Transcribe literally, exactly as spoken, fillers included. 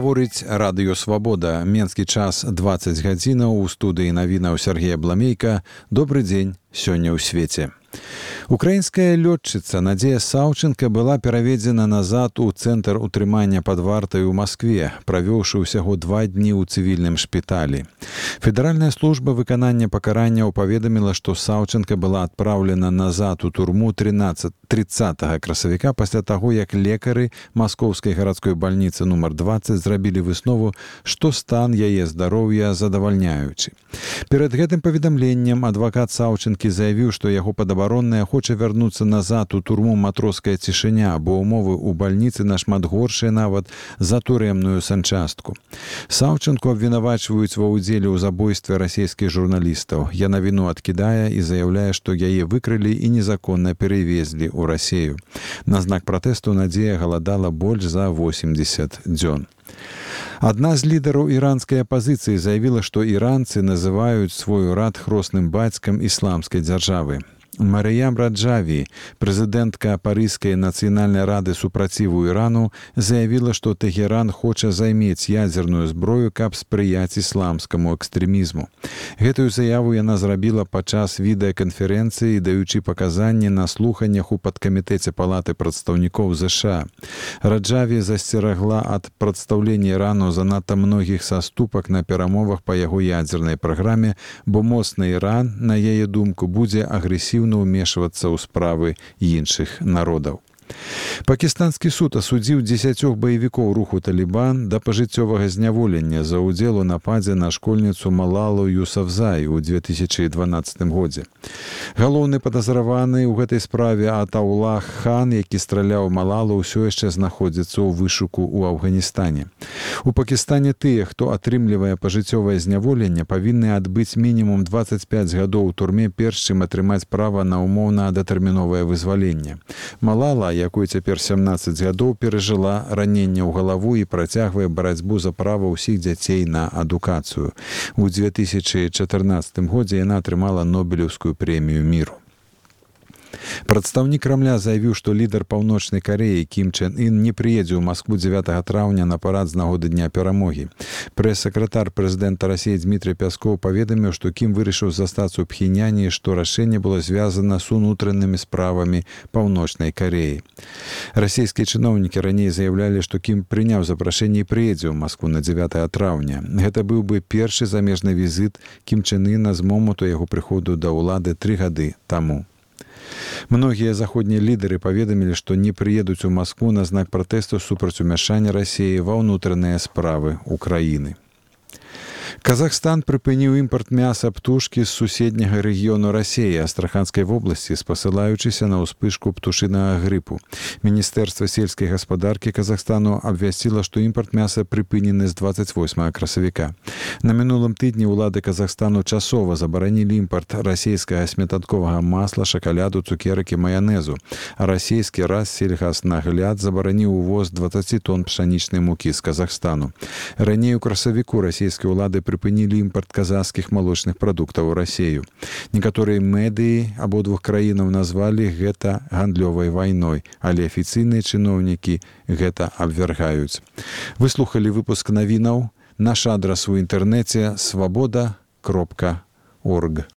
Гаворыць радыё «Свабода». Менскі час дваццаць гадзінаў. У студыі навінаў Сергея Бламейка. Добры дзень сёння ў свеце. Украінская лётчыца Надзея Саўченка была пераведзена назад у цэнтр утрымання пад вартай у Маскве, правёўшы ўсяго два дні ў цывільным шпіталі. Федэральная служба выканання пакаранняў паведаміла, што Саўченка была адпраўлена назад у турму трыццатага красавіка пасля таго, як лекары Маскоўскай гарадской бальніцы нумар дваццаць зрабілі выснову, што стан яе здароўя задавальняючы. Перад гэтым паведамленнем адвакат Саўченкі заявіў, што яго падабаронная хоча вярнуцца назад у турму «Матроская цішыня», бо ўмовы ў бальніцы нашмат горшыя нават за турэмную санчастку. Саўченку абвінавачваюць ва ўдзеле ў забойстве расійскіх журналістаў. Яна віну адкідае і заяўляе, што яе выкрылі і незаконна перавезлі ў Расею. На знак пратэсту Надзея галадала больш за восемьдесят дзён. Адна з лідараў іранскай апазіцыі заявіла, што іранцы называюць свой урад хросным бацькам ісламскай дзяржавы. Марыям Раджаві, прэзідэнтка Парыжскай нацыянальнай рады супраціву Ірану, заявіла, што Тэхеран хоча займець ядзерную зброю, каб спрыяць ісламскаму экстрэмізму. Гэтую заяву яна зрабіла падчас відэаканферэнцыі, даючы паказанні на слуханнях у падкамітэце Палаты прадстаўнікоў ЗША. Раджаві засцерагла ад прадстаўлення Ірану занадта многіх саступак на перамовах па яго ядзернай праграме, бо моцны Іран, на яе думку, будзе агрэсіўна ўмешвацца ў справы іншых народаў. Пакістанскі суд асудзіў дзесяцёх баевікоў руху «Талібан» да пажыццёвага зняволення за ўдзел у нападзе на школьніцу Малалу Юсафзай у две тысячы дванаццатым годзе. Галоўны падазраваны ў гэтай справе Атаулах Хан, які страляў Малалу, ўсё яшчэ знаходзіцца ў вышуку ў Афганістане. У Пакістане тыя, хто атрымлівае пажыццёвае зняволенне, павінны адбыць мінімум дваццаць пяць гадоў у турме, перш чым атрымаць права на ўмоўна датэрміновае вызваленне. Малала, якой цяпер сямнаццаць гадоў, перажыла раненне ў галаву і працягвае барацьбу за права ўсіх дзяцей на адукацыю. У две тысячы чатырнаццатым годзе яна атрымала Нобелеўскую прэмію міру. Прадстаўнік Крамля заявіў, што лідар Паўночнай Карэі Кім Чен Ын не прыедзе ў Маскву дзевятага траўня на парад з нагоды Дня перамогі. Прэс-сакратар прэзідэнта Расіі Дмітрый Пяскоў паведаміў, што Кім вырашыў застацца ў Пхеняне, што рашэнне было звязана з унутранымі справамі Паўночнай Карэі. Расійскія чыноўнікі раней заяўлялі, што Кім прыняў запрашэнне і прыедзе ў Маскву на дзевятага траўня. Гэта быў бы першы замежны візіт Кім Чен Іна з моманту яго прыходу да ўлады тры гады таму. Многія заходнія лідары паведамілі, што не прыедуць у Маскву на знак пратэсту супраць умяшання Расіі ва ўнутраныя справы ўкраіны. Казахстан прыпыніў імпарт мяса птушкі з суседняга рэгіёну Расіі, Астраханскай вобласці, спасылаючыся на ўспышку птушынага грыпу. Міністэрства сельскай гаспадаркі Казахстану абвясціла, што імпарт мяса прыпынены з дваццаць восьмага красавіка. На мінулым тыдні ўлады Казахстану часова забаранілі імпарт расійскага сметанковага масла, шакаляду, цукерак і маянезу, а расійскі Рассельгаснагляд забараніў увоз дваццаць тонн пшанічнай мукі з Казахстану. Раней у красавіку расійскія ўлады прыпынілі імпарт казахскіх малочных прадуктаў у Расею. Некаторыя медыі абодвух краінаў назвалі гэта гандлёвай вайной, але афіцыйныя чыноўнікі гэта абвяргаюць. Вы слухалі выпуск навінаў. Наш адрас у інтэрнэце свабода кропка орг.